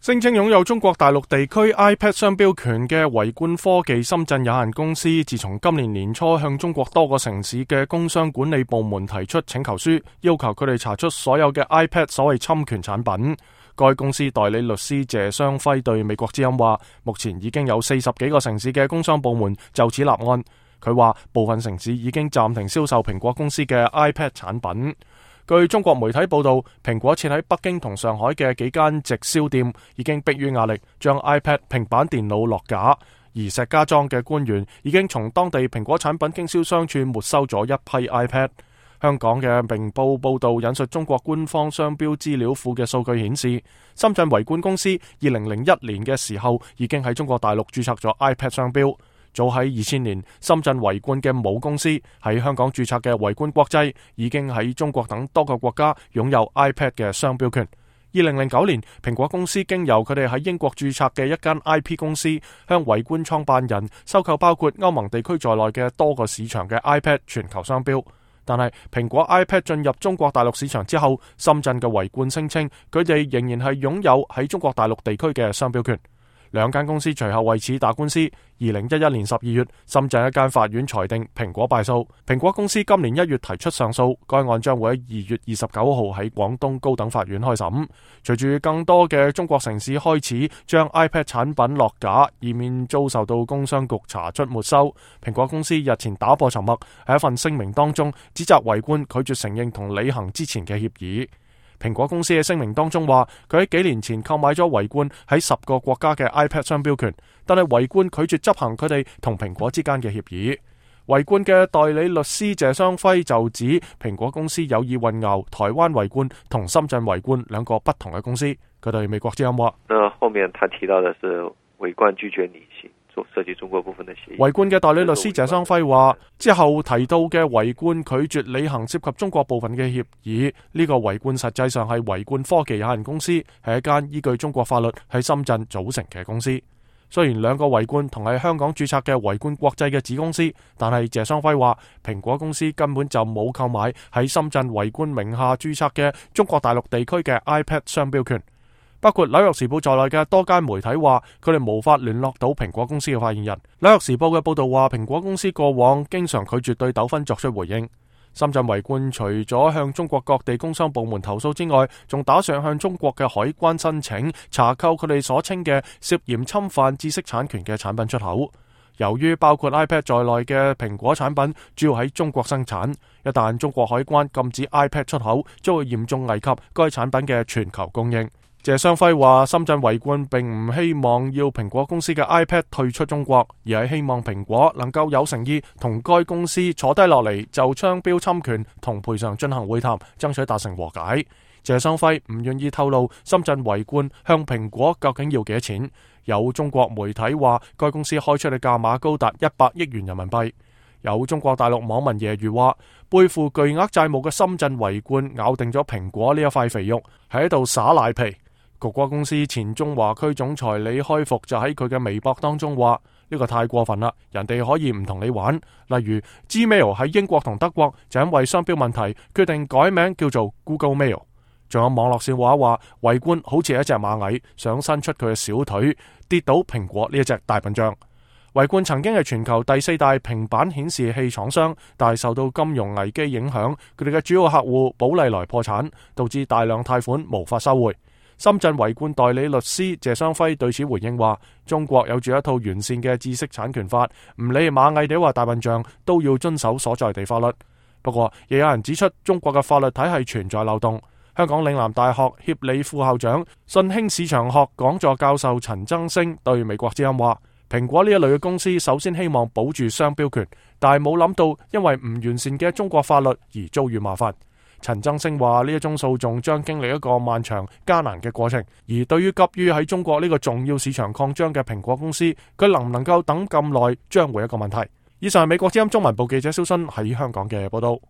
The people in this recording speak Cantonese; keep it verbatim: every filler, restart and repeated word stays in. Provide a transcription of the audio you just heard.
聲稱擁有中國大陸地區 iPad 商標權嘅維冠科技深圳有限公司，自從今年年初向中國多個城市嘅工商管理部門提出請求書，要求佢哋查出所有嘅 iPad 所謂侵權產品。該公司代理律師謝雙輝對美國之音話，目前已經有四十幾個城市嘅工商部門就此立案。佢話部分城市已經暫停銷售蘋果公司嘅 iPad 產品。據中國媒體報道，蘋果設喺北京同上海嘅幾間直銷店已經迫於壓力將 iPad 平板電腦落架，而石家莊嘅官員已經從當地蘋果產品經銷商處沒收咗一批 iPad。香港嘅明報報道引述中國官方商標資料庫嘅數據顯示，深圳維冠公司二零零一年嘅時候已經喺中國大陸註冊咗 iPad 商標。早喺二千年，深圳維冠嘅母公司喺香港註冊嘅維冠國際已經喺中國等多個國家擁有 iPad 嘅商標權。二零零九年，蘋果公司經由佢哋喺英國註冊嘅一間 I P 公司，向維冠創辦人收購包括歐盟地區在內嘅多個市場嘅 iPad 全球商標。但係蘋果 iPad 進入中國大陸市場之後，深圳嘅維冠聲稱佢哋仍然係擁有喺中國大陸地區嘅商標權。兩間公司隨後為此打官司。二零一一年十二月，深圳一間法院裁定蘋果敗訴，蘋果公司今年一月提出上訴，該案將會喺二月二十九號喺廣東高等法院開審。隨住更多嘅中國城市開始將 iPad 產品落架，以免遭受到工商局查出沒收，蘋果公司日前打破沉默，喺一份聲明當中指責維冠拒絕承認同履行之前嘅協議。蘋果公司喺聲明當中話，佢喺幾年前購買咗維冠喺十個國家嘅 iPad 商標權，但係維冠拒絕執行佢哋同蘋果之間嘅協議。維冠嘅代理律師謝雙輝就指，蘋果公司有意混淆台灣維冠同深圳維冠兩個不同嘅公司。佢對美國之音話：那後面他提到的是維冠拒絕履行涉及中國部分的協議。維冠嘅代理律師謝雙輝話，之後提到嘅維冠拒絕履行涉及中國部分嘅協議，呢、這個維冠實際上係維冠科技有限公司，係一間依據中國法律喺深圳組成嘅公司。雖然兩個維冠同係香港註冊嘅維冠國際嘅子公司，但係謝雙輝話，蘋果公司根本就冇購買喺深圳維冠名下註冊嘅中國大陸地區嘅 iPad 商標權。包括紐約時報在內嘅多間媒體話，佢哋無法聯絡到蘋果公司嘅發言人。紐約時報嘅報道話，蘋果公司過往經常拒絕對糾紛作出回應。深圳維冠除咗向中國各地工商部門投訴之外，仲打算向中國嘅海關申請查扣佢哋所稱嘅涉嫌侵犯知識產權嘅產品出口。由於包括 iPad 在內嘅蘋果產品主要喺中國生產，一旦中國海關禁止 iPad 出口，將會嚴重危及該產品嘅全球供應。謝雙輝話，深圳維冠並唔希望要蘋果公司嘅 iPad 退出中國，而係希望蘋果能夠有誠意同該公司坐低落嚟，就商標侵權同賠償進行會談，爭取達成和解。謝雙輝唔願意透露深圳維冠向蘋果究竟要幾多錢。有中國媒體話，該公司開出嘅價碼高達一百億元人民幣。有中國大陸網民揶揄話，背負巨額債務嘅深圳維冠咬定咗蘋果呢一塊肥肉，喺度耍賴皮。谷歌公司前中華區總裁李開復就喺佢嘅微博當中話，呢個太過分啦，人哋可以唔同你玩。例如 Gmail 喺英國同德國就因為商標問題決定改名叫做 Google Mail。仲有網絡笑話話，維冠好似一隻螞蟻想伸出佢嘅小腿跌倒蘋果呢一隻大笨象。維冠曾經係全球第四大平板顯示器廠商，但係受到金融危機影響，佢哋嘅主要客戶寶麗來破產，導致大量貸款無法收回。深圳維冠代理律師謝雙輝對此回應話，中國有住一套完善嘅知識產權法，唔理螞蟻地話大笨象都要遵守所在地法律。不過亦有人指出，中國嘅法律體系存在漏洞。香港嶺南大學協理副校長、信興市場學講座教授陳增星對美國之音話，蘋果呢一類嘅公司首先希望保住商標權，但係冇諗到因為唔完善嘅中國法律而遭遇麻煩。陳增星話，呢一宗訴訟將經歷一個漫長艱難嘅過程，而對於急於喺中國呢個重要市場擴張嘅蘋果公司，佢能唔能夠等咁耐，將會一個問題。以上係美國之音中文部記者蕭新喺香港嘅報道。